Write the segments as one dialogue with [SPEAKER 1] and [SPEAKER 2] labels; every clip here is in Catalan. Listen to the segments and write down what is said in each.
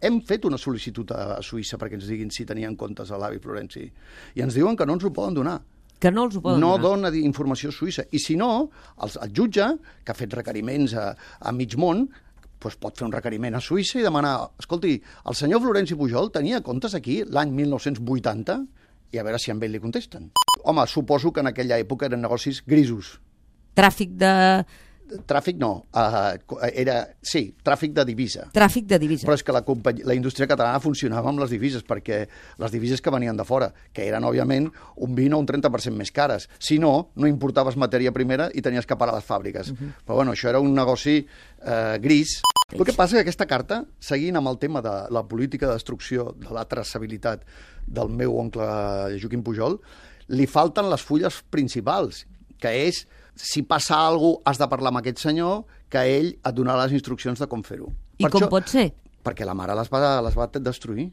[SPEAKER 1] hem fet una sol·licitud a Suïssa perquè ens diguin si tenien comptes a l'avi Florenci. I ens diuen que no ens ho poden donar.
[SPEAKER 2] Que no els ho poden donar.
[SPEAKER 1] No dona informació suïssa. I si no, el jutge, que ha fet requeriments a mig món, doncs pot fer un requeriment a Suïssa i demanar, escolti, el senyor Florenci Pujol tenia comptes aquí l'any 1980 i a veure si amb ell li contesten. Home, suposo que en aquella època eren negocis grisos.
[SPEAKER 2] Tràfic
[SPEAKER 1] no, sí, tràfic de divisa.
[SPEAKER 2] Tràfic de divisa.
[SPEAKER 1] Però és que la indústria catalana funcionava amb les divises, perquè les divises que venien de fora, que eren, òbviament, un 20 o un 30% més cares. Si no, no importaves matèria primera i tenies que parar les fàbriques. Però bueno, això era un negoci gris. El que passa és que aquesta carta, seguint amb el tema de la política de destrucció de la traçabilitat del meu oncle Joaquim Pujol, li falten les fulles principals, que és, si passa alguna cosa, has de parlar amb aquest senyor, que ell et donarà les instruccions de com fer-ho.
[SPEAKER 2] I com pot ser?
[SPEAKER 1] Perquè la mare les va destruir.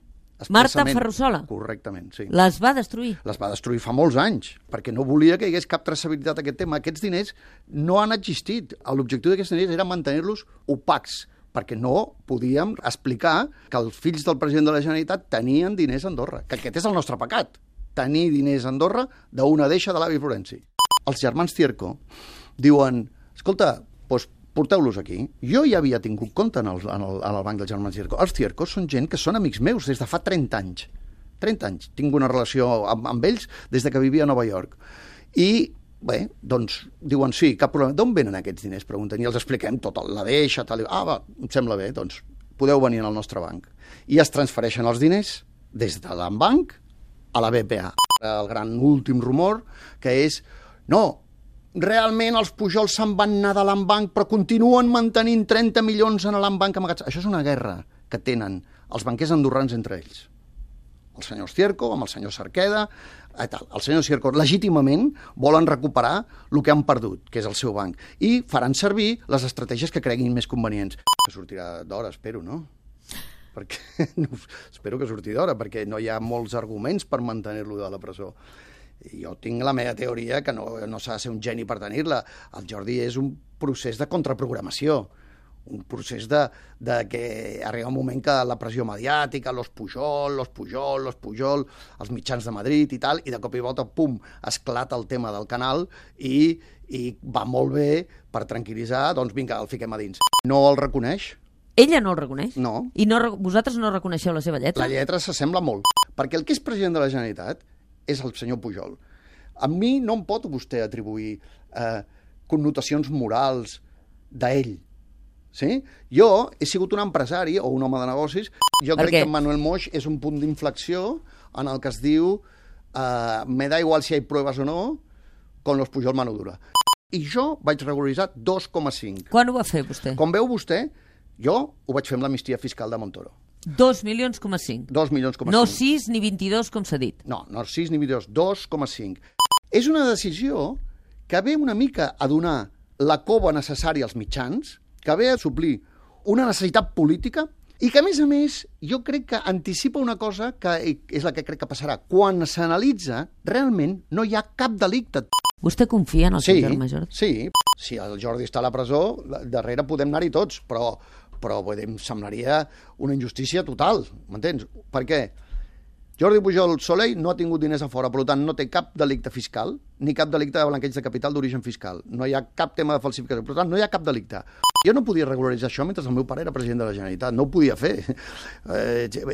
[SPEAKER 2] Marta Ferrusola?
[SPEAKER 1] Correctament, sí.
[SPEAKER 2] Les va destruir?
[SPEAKER 1] Les va destruir fa molts anys, perquè no volia que hi hagués cap traçabilitat a aquest tema. Aquests diners no han existit. L'objectiu d'aquests diners era mantenir-los opacs, perquè no podíem explicar que els fills del president de la Generalitat tenien diners a Andorra, que aquest és el nostre pecat, tenir diners a Andorra d'una deixa de l'avi Florenci. Els germans Cierco diuen, escolta, doncs porteu-los aquí. Jo ja havia tingut compte en el banc dels germans Cierco. Els Cierco són gent que són amics meus des de fa 30 anys. 30 anys. Tinc una relació amb ells des de que vivia a Nova York. I, bé, doncs, diuen, sí, cap problema. D'on venen aquests diners? Pregunten. I els expliquem tot, la deixa, tal. Va, em sembla bé, doncs podeu venir al nostre banc. I es transfereixen els diners des de l'Ambanc a la BPA. El gran últim rumor, que és no, realment els Pujol se'n van anar de l'Ambanc, però continuen mantenint 30 milions en l'Ambanc amagats. Això és una guerra que tenen els banquers andorrans entre ells. El senyor Cierco amb el senyor Cerqueda, tal. El senyor Cierco legítimament volen recuperar el que han perdut, que és el seu banc, i faran servir les estratègies que creguin més convenients. Que sortirà d'hora, espero, no? Espero que surti d'hora, perquè no hi ha molts arguments per mantenir-lo de la presó. Jo tinc la meva teoria que no s'ha de ser un geni per tenir-la. El Jordi és un procés de contraprogramació, un procés de que arriba un moment que la pressió mediàtica, los Pujol, els mitjans de Madrid i tal, i de cop i volta, pum, esclata el tema del canal i va molt bé per tranquil·litzar, doncs vinga, el fiquem a dins. No el reconeix?
[SPEAKER 2] Ella no el reconeix?
[SPEAKER 1] No.
[SPEAKER 2] I vosaltres no reconeixeu la seva lletra?
[SPEAKER 1] La lletra s'assembla molt, perquè el que és president de la Generalitat és el senyor Pujol. A mi no em pot vostè atribuir connotacions morals d'ell. Sí? Jo he sigut un empresari o un home de negocis. Jo crec que Manuel Moix és un punt d'inflexió en el que es diu me da igual si hay pruebas o no, con los Pujol mano dura. I jo vaig regularitzar 2,5.
[SPEAKER 2] Quan ho va fer vostè?
[SPEAKER 1] Com veu vostè, jo ho vaig fer amb l'amnistia fiscal de Montoro.
[SPEAKER 2] 2,5 milions.
[SPEAKER 1] 2 milions.
[SPEAKER 2] No 6 ni 22, com s'ha dit.
[SPEAKER 1] No 6 ni 22, 2,5. És una decisió que ve una mica a donar la cova necessària als mitjans, que ve a suplir una necessitat política i que, a més, jo crec que anticipa una cosa que és la que crec que passarà. Quan s'analitza, realment no hi ha cap delicte.
[SPEAKER 2] Vostè confia en el seu germà Jordi?
[SPEAKER 1] Sí. Si el Jordi està a la presó, darrere podem anar-hi tots, però em semblaria una injustícia total, m'entens? Per què? Jordi Pujol Soley no ha tingut diners a fora, per tant no té cap delicte fiscal, ni cap delicte de blanqueig de capital d'origen fiscal. No hi ha cap tema de falsificació, per tant no hi ha cap delicte. Jo no podia regularitzar això mentre el meu pare era president de la Generalitat, no ho podia fer.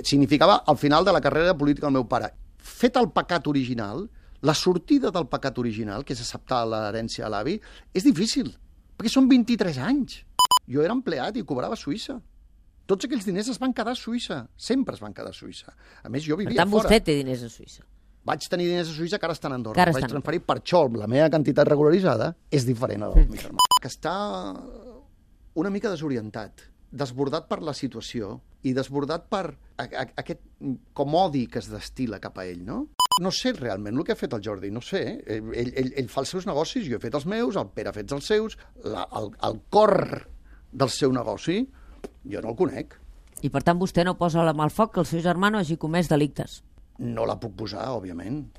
[SPEAKER 1] Significava el final de la carrera política del meu pare. Fet el pecat original, la sortida del pecat original, que és acceptar l'herència a l'avi, és difícil, perquè són 23 anys. Jo era empleat i cobrava a Suïssa. Tots aquells diners es van quedar a Suïssa. Sempre es van quedar a Suïssa. A més, jo vivia fora.
[SPEAKER 2] Per tant, vostè té diners a Suïssa.
[SPEAKER 1] Vaig tenir diners a Suïssa que ara estan a Andorra. Vaig transferir per això. La meva quantitat regularitzada és diferent a la del meu germà. Que està una mica desorientat, desbordat per la situació i desbordat per aquest com odi que es destila cap a ell, no? No sé realment el que ha fet el Jordi, no sé. Ell fa els seus negocis, jo he fet els meus, el Pere ha fet els seus, el cor del seu negoci jo no el conec.
[SPEAKER 2] I per tant vostè no posa la mà al foc que el seu germà no hagi comès delictes?
[SPEAKER 1] No la puc posar, òbviament.